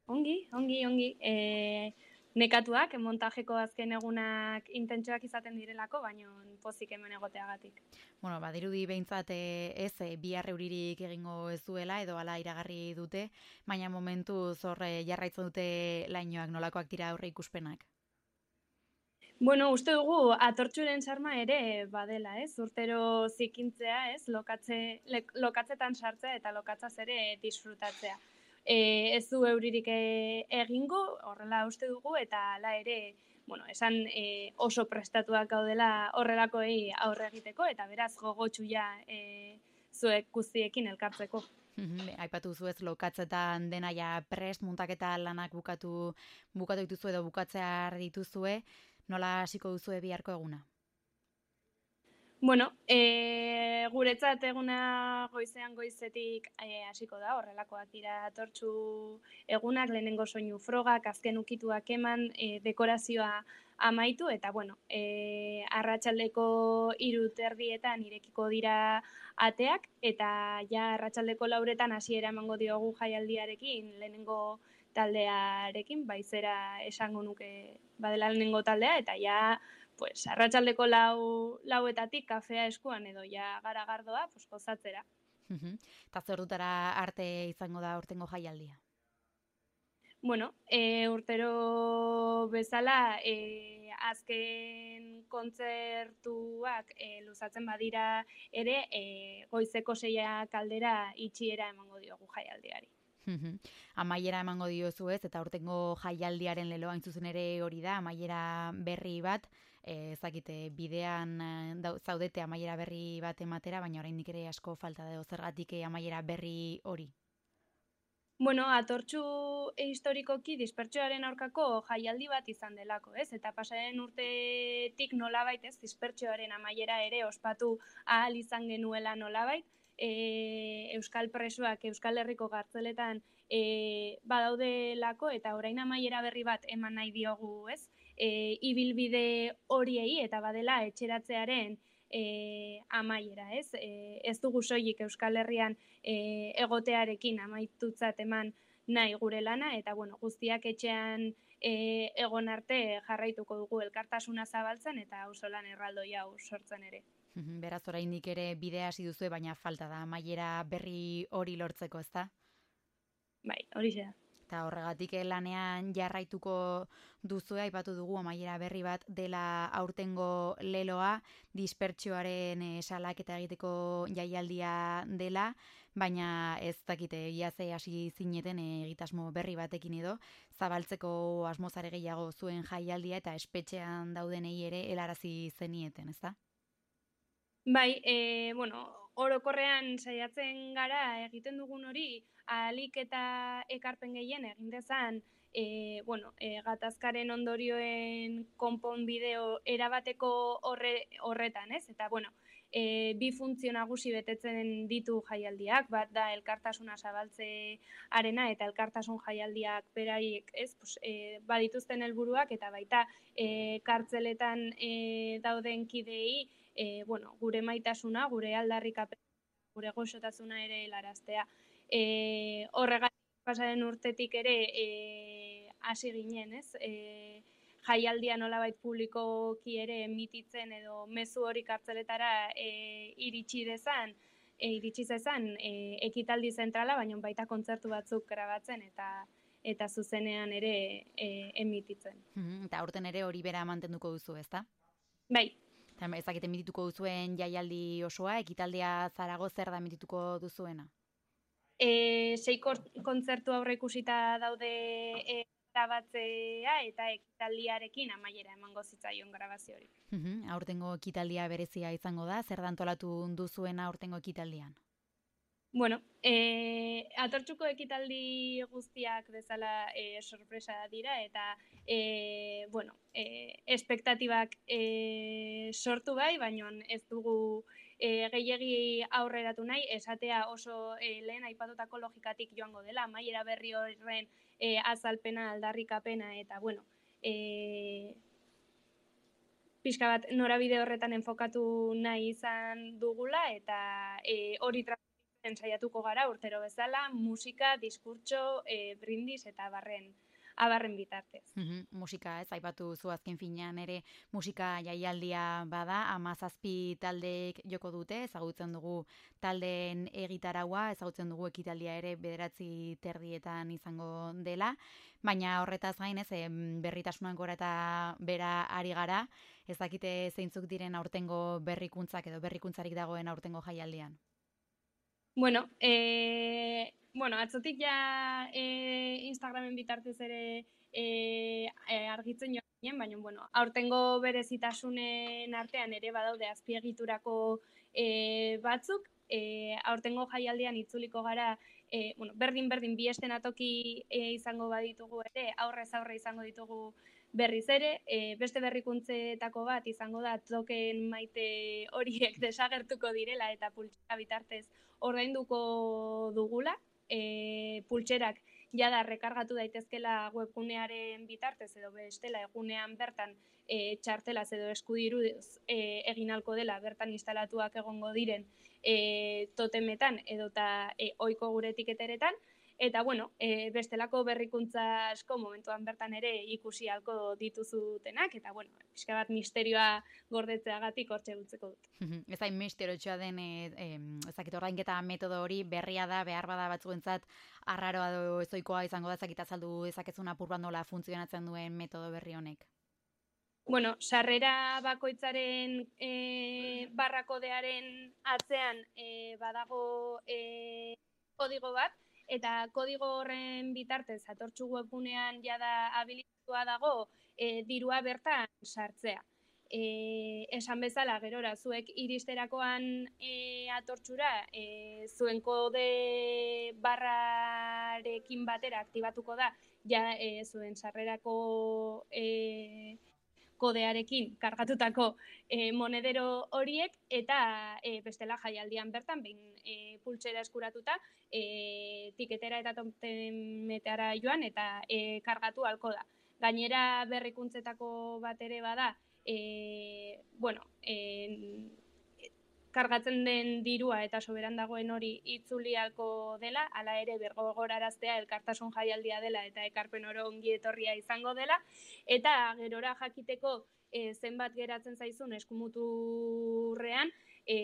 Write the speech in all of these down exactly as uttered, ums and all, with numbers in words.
Ongi, ongi, ongi. E, nekatuak, montajeko azken egunak intentsuak izaten direlako, baino pozik hemen egoteagatik. Bueno, badirudi behintzat e, ez e, bihar euririk egingo ez duela edo hala iragarri dute, baina momentu zorre jarraitzen dute lainoak nolakoak dira aurre ikuspenak. Bueno, uste dugu atortxuren sarma ere badela, ez? Urtero zikintzea, ez? Lokatze, le, lokatzetan sartzea eta lokatzaz ere disfrutatzea. E, ez du euririk e, egingo, horrela uste dugu, eta hala ere, bueno, esan e, oso prestatuak gaudela horrelakoei aurre egiteko, eta beraz gogotsu ja e, zuek guztiekin elkartzeko. Mhm, aipatu duzu ez lokatzetan dena ja prest muntaketa lanak bukatu bukatu dituzu edo bukatzear dituzue, nola hasiko duzue biharko eguna? Bueno, e, guretzat eguna goizean goizetik e, hasiko da, horrelakoak dira atortxu egunak, lehenengo soinu frogak, azken ukituak eman, e, dekorazioa amaitu, eta bueno, e, arratsaldeko hiru terdietan irekiko dira ateak, eta ja arratsaldeko lauretan hasiera emango diogu jaialdiarekin, lehenengo taldearekin, baizera esango nuke badela lehenengo taldea, eta ja pues arratsaldeko lau, lauetatik kafea eskuan edo ja gara gardoa, pues gozatzera. Mhm. Eta zer dutara arte izango da urtengo jaialdia? Bueno, e, urtero bezala e, azken kontzertuak e, luzatzen badira ere e, goizeko seia kaldera itxiera emango diogu jaialdiari. Mhm. Amaiera emango diozu ez, eta urtengo jaialdiaren leloa hain zuzen ere hori da, amaiera berri bat, eh, ezakite bidean eh, dau- zaudete amaiera berri bat ematera, baina oraindik ere asko falta da zergatik eh, amaiera berri hori. Bueno, atortxu historikoki dispertsioaren aurkako jaialdi bat izan delako, ez? Eta pasaren urtetik nolabait, ez, dispertsioaren amaiera ere ospatu ahal izan genuela nolabait, e, Euskal presoak Euskal Herriko gartzeletan e, badaudelako eta orain amaiera berri bat eman nahi diogu, ez? E, ibilbide horiei eta badela etxeratzearen e, amaiera, ez? E, ez dugu soilik Euskal Herrian e, egotearekin amaitutzat eman nahi gure lana, eta bueno, guztiak etxean e, egon arte jarraituko dugu elkartasuna zabaltzen eta auzolan erraldoi hau sortzen ere. Mhm. Beraz oraindik ere bidea hasi duzue, baina falta da amaiera berri hori lortzeko, ezta? Bai, hori da. Eta horregatik eh, lanean jarraituko duzu aipatu dugu amaiera berri bat dela aurtengo leloa, dispertsioaren eh, salaketa egiteko jaialdia dela, baina ez dakite ia ze hasi zineten eh, egitasmo berri batekin edo, zabaltzeko asmozare gehiago zuen jaialdia eta espetxean daudenei ere helarazi zenieten, ezta? Bai, e, bueno, orokorrean saiatzen gara egiten dugun hori ahalik eta ekarpen gehien egin dezan, e, bueno, e, gatazkaren ondorioen konponbideo erabateko horre, horretan, ez? Eta, bueno, e, bi funtzio nagusi betetzen ditu jaialdiak, bat da elkartasuna zabaltze arena eta elkartasun jaialdiak beraiek, ez? Pues, e, badituzten helburuak eta baita e, kartzeletan e, dauden kidei, e, bueno, gure maitasuna, gure aldarrikapen, gure goxotasuna ere helaraztea. E, horregatik pasaren urtetik ere e, hasi ginen, ez? E, jaialdia nolabait publikoki ere emititzen edo mezu hori kartzeletara e, iritsi dezan, e, iritsi zezan e, ekitaldi zentrala, baina baita kontzertu batzuk grabatzen eta eta zuzenean ere e, emititzen. Mhm. Eta aurten ere hori bera mantenduko duzu, ezta? Bai, Eta ezakite mitituko duzuen jaialdi osoa, ekitaldea Zarago zer da mitituko duzuena? E, sei kontzertu aurre ikusita daude e, grabatzea eta ekitaldiarekin amaiera emango zitzaion grabazio hori. Mhm. Aurtengo ekitaldia berezia izango da, zer da antolatu duzuena aurtengo ekitaldian? Bueno, e, atortxuko ekitaldi guztiak bezala e, sorpresa dira eta e, bueno, e, espektatibak e, sortu bai, baina ez dugu e, gehiegi aurreratu nahi, esatea oso e, lehen aipatutako logikatik joango dela, maiera berri horren e, azalpena, aldarrikapena eta bueno, e, pixka bat norabide horretan enfokatu nahi izan dugula eta e, hori saiatuko gara urtero bezala, musika, diskurtso, e, brindis eta barren abarren bitartez. Uhum, musika, ez, aipatu zu azken finean ere musika jaialdia bada, hamazazpi taldeek joko dute, ezagutzen dugu taldeen egitaraua, ezagutzen dugu ekitaldia ere bederatzi terdietan izango dela, baina horretaz gain ez, berritasunak gora eta bera ari gara, ez dakite zeintzuk diren aurtengo berrikuntzak edo berrikuntzarik dagoen aurtengo jaialdian. Bueno, e, bueno, atzotik ja e, Instagramen bitartez ere e, argitzen joan ginen, baina bueno, aurtengo berezitasunen artean ere badaude azpiegiturako e, batzuk, e, aurtengo jaialdian itzuliko gara, e, bueno, berdin-berdin bi estenatoki e, izango baditugu ere, aurrez aurre izango ditugu berriz ere, e, beste berrikuntzetako bat izango da token maite horiek desagertuko direla eta pultsera bitartez ordainduko dugula, e, pultserak jada rekargatu daitezkela webgunearen bitartez edo bestela egunean bertan e, txartelaz edo eskudiruz e, egin halko dela bertan instalatuak egongo diren e, totemetan edota e, ohiko gure etiketeretan. Eta, bueno, e, bestelako berrikuntza asko momentuan bertan ere ikusi halko dituzutenak, eta, bueno, pixka bat misterioa gordetzeagatik hortxe gutzeko dut. Ez hain misteriotsua den, e, e, ezakit ordainketa metodo hori berria da, behar bada batzuentzat arraroa edo ezoikoa izango da, ezakit azaldu ezakezun apur bat nola funtzionatzen duen metodo berri honek. Bueno, sarrera bakoitzaren e, barrakodearen atzean e, badago e, kodigo bat, eta kodigo horren bitartez atortxu webgunean jada habilitatua dago e, dirua bertan sartzea. E, esan bezala, gerora, zuek iristerakoan e, atortxura, e, zuen kode barrarekin batera aktibatuko da, ja e, zuen sarrerako e, kodearekin kargatutako e, monedero horiek, eta e, bestela jaialdian bertan, behin e, pultsera eskuratuta, e, tiketera eta totemetara joan eta e, kargatu halko da. Gainera berrikuntzetako bat ere bada, e, bueno, e, kargatzen den dirua eta soberan dagoen hori itzuli halko dela, hala ere bergogoraraztea elkartasun jaialdia dela eta ekarpen oro ongi etorria izango dela, eta gerora jakiteko e, zenbat geratzen zaizun eskumuturrean, e,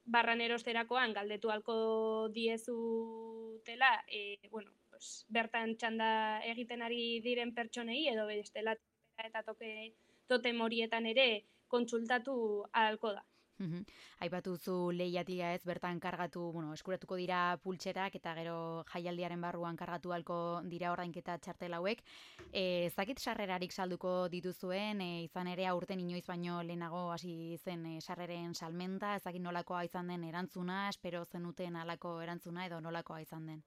barran erosterakoan galdetu halko diezutela, e, bueno, pues, bertan txanda egiten ari diren pertsonei edo bestela eta toke totem horietan ere kontsultatu ahalko da. Uhum. Aipatu zu lehiatia ez, bertan kargatu, bueno, eskuratuko dira pultserak eta gero jaialdiaren barruan kargatu halko dira ordainketa txartel hauek. E, zakit sarrerarik salduko dituzuen, e, izan ere aurten inoiz baino lehenago hasi zen e, sarreren salmenta, ezakit nolakoa izan den erantzuna, espero zenuten halako erantzuna edo nolakoa izan den?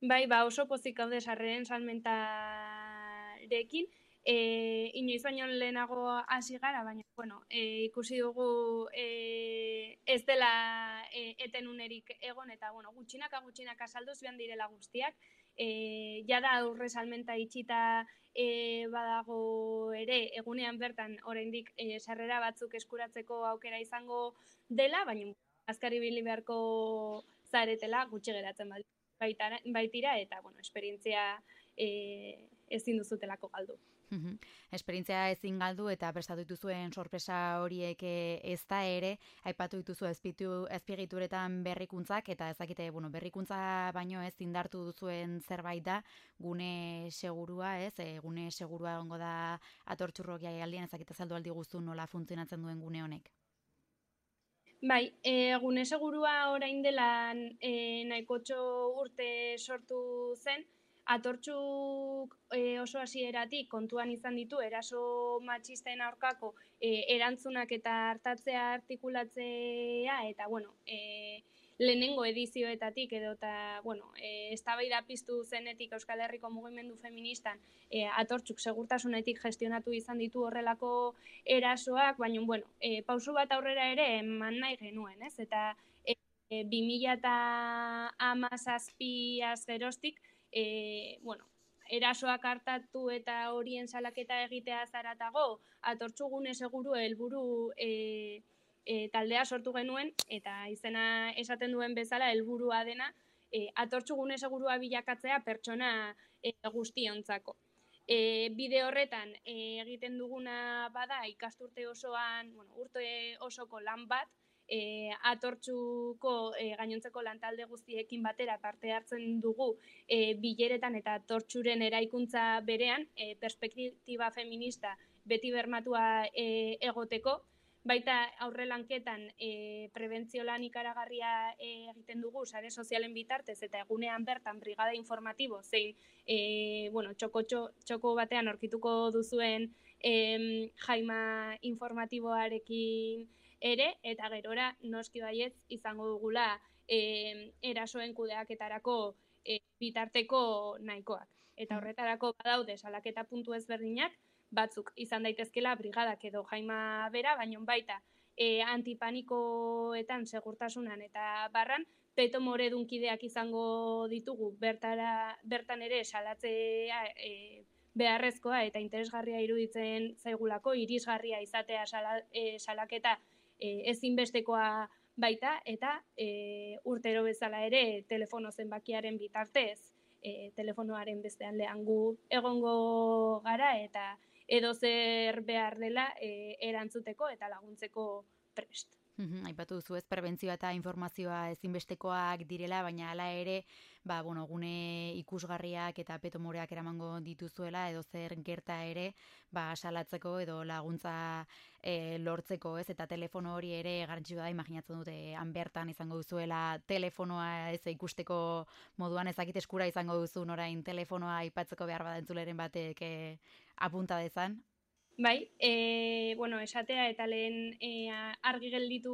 Bai, ba oso pozik gaude sarreren salmentarekin, E, inoiz baino lehenago hasi gara, baina bueno, e, ikusi dugu e, ez dela e, eten unerik egon, eta bueno, gutxinaka gutxinaka salduz joan direla guztiak, e, jada aurre salmenta itxita e, badago ere, egunean bertan oraindik e, sarrera batzuk eskuratzeko aukera izango dela, baina azkar ibili beharko zaretela gutxi geratzen baitira, baitira eta bueno, esperientzia e, ezin duzutelako galdu. Uhum. Esperientzia ezin galdu eta prestatu dituzuen sorpresa horiek ez da ere, aipatu dituzu azpiegituretan berrikuntzak, eta ezakite, bueno, berrikuntza baino ez indartu duzuen zerbait da, gune segurua, ez, e, gune segurua egongo da atortxurrok jaialdian, ezakite azaldu aldi guztu nola funtzionatzen duen gune honek. Bai, e, gune segurua orain dela e, nahikotxo urte sortu zen, atortxuk e, oso hasieratik kontuan izan ditu eraso matxisten aurkako e, erantzunak eta hartatzea artikulatzea, eta bueno, e, lehenengo edizioetatik edo eta bueno, e, eztabaida piztu zenetik Euskal Herriko mugimendu feministan e, atortxuk segurtasunetik gestionatu izan ditu horrelako erasoak, baina bueno, e, pausu bat aurrera ere eman nahi genuen, ez? Eta e, e, bi mila hamazazpiaz geroztik E, bueno, erasoak hartatu eta horien salaketa egitea zaratago, atortxugune seguru helburu e, e, taldea sortu genuen, eta izena esaten duen bezala helburua dena, e, atortxu gune segurua bilakatzea pertsona e, guztiontzako. E, bide horretan e, egiten duguna bada ikasturte osoan, bueno, urte osoko lan bat, e, atortxuko e, gainontzeko lantalde guztiekin batera parte hartzen dugu e, bileretan eta atortxuren eraikuntza berean, e, perspektiba feminista beti bermatua e, egoteko, baita aurrelanketan e, prebentzio lan ikaragarria e, egiten dugu sare sozialen bitartez eta egunean bertan brigada informatibo zein e, bueno, txoko, txoko batean aurkituko duzuen e, jaima informatiboarekin ere, eta gerora noski baietz izango dugula e, erasoen kudeaketarako e, bitarteko nahikoak. Eta horretarako badaude salaketa puntu ezberdinak, batzuk izan daitezkela brigadak edo jaima bera, baina baita e, antipanikoetan segurtasunan eta barran, peto moredunkideak izango ditugu bertara, bertan ere salatzea e, beharrezkoa eta interesgarria iruditzen zaigulako, irisgarria izatea sala, e, salaketa e, ezinbestekoa baita, eta e, urtero bezala ere telefono zenbakiaren bitartez, e, telefonoaren bestean lehan gu egongo gara, eta edo zer behar dela e, erantzuteko eta laguntzeko prest. Uhum, aipatu duzu ez, prebentzioa eta informazioa ezinbestekoak direla, baina hala ere, ba, bueno, gune ikusgarriak eta petomoreak eramango dituzuela, edo zer gerta ere, ba, salatzeko edo laguntza e, lortzeko, ez, eta telefono hori ere garrantzitsua da, imaginatzen dute, han bertan izango duzuela telefonoa ez ikusteko moduan, ezakit eskura izango duzu orain telefonoa aipatzeko behar bada entzuleren batek e, apunta dezan. Bai, e, bueno, esatea eta lehen e, argi gelditu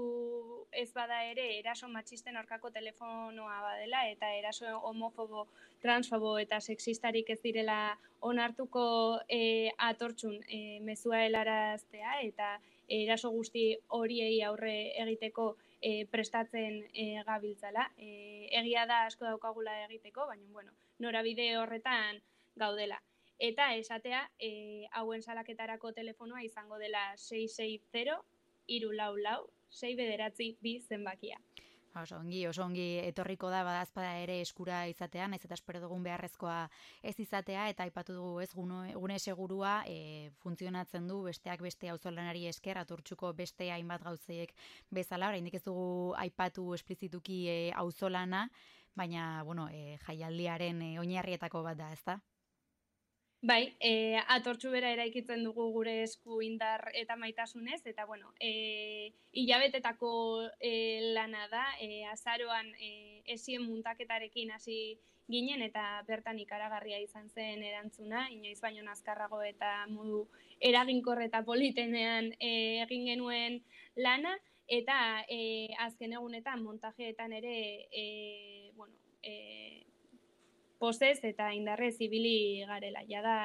ez bada ere eraso matxisten aurkako telefonoa badela eta eraso homofobo, transfobo eta sexistarik ez direla onartuko e, atortxun e, mezua helaraztea eta eraso guzti horiei aurre egiteko e, prestatzen e, gabiltzala. E, egia da asko daukagula egiteko, baina bueno, norabide horretan gaudela. Eta esatea, e, hauen salaketarako telefonoa izango dela sei sei zero, hiru lau lau, sei bederatzi bi zenbakia. Oso ongi, oso ongi etorriko da badazpada ere eskura izatean, ez eta espero dugun beharrezkoa ez izatea, eta aipatu dugu ez gune, gune segurua e, funtzionatzen du besteak beste auzolanari esker, atortxuko beste hainbat gauzeiek bezala, oraindik ez dugu aipatu esplizituki e, auzolana, baina bueno, e, jaialdiaren e, oinarrietako bat da, ezta? Bai, e, atortxu bera eraikitzen dugu gure esku indar eta maitasunez, eta bueno, e, hilabetetako e, lana da, e, azaroan e, esien muntaketarekin hasi ginen, eta bertan ikaragarria izan zen erantzuna, inoiz baino azkarrago eta modu eraginkor eta politenean e, egin genuen lana, eta e, azken egunetan montajeetan ere, e, bueno, e, posez eta indarrez ibili garela. Ja da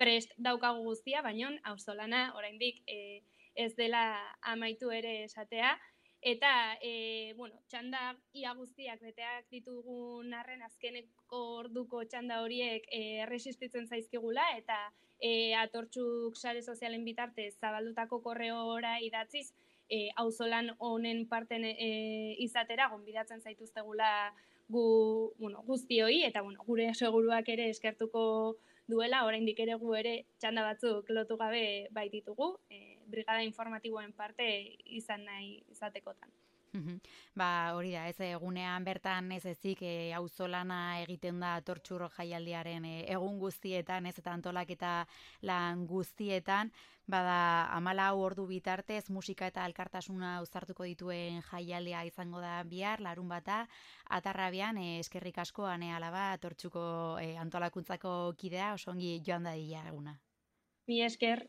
prest daukagu guztia, baina auzolana oraindik e, ez dela amaitu ere esatea. Eta, e, bueno, txanda ia guztiak beteak ditugun arren azkeneko orduko txanda horiek e, erresistitzen zaizkigula, eta e, atortxuk sare sozialen bitartez zabaldutako korreora idatziz, e, auzolan honen parten e, izatera gonbidatzen zaituztegula gu, bueno, guztioi, eta bueno, gure seguruak ere eskertuko duela, oraindik ere gu ere txanda batzuk lotu gabe baititugu, e, brigada informatiboen parte izan nahi izatekotan. Ba, hori da, ez egunean bertan ez ezik e, auzolana egiten da atortxur jaialdiaren e, egun guztietan, ez eta antolaketa lan guztietan, bada hamalau ordu bitartez musika eta elkartasuna uztartuko dituen jaialdia izango da bihar, larun bata, Atarrabian, e, eskerrik asko Ane Alaba atortxuko e, antolakuntzako kidea, osongi joan da dila eguna. Mi esker.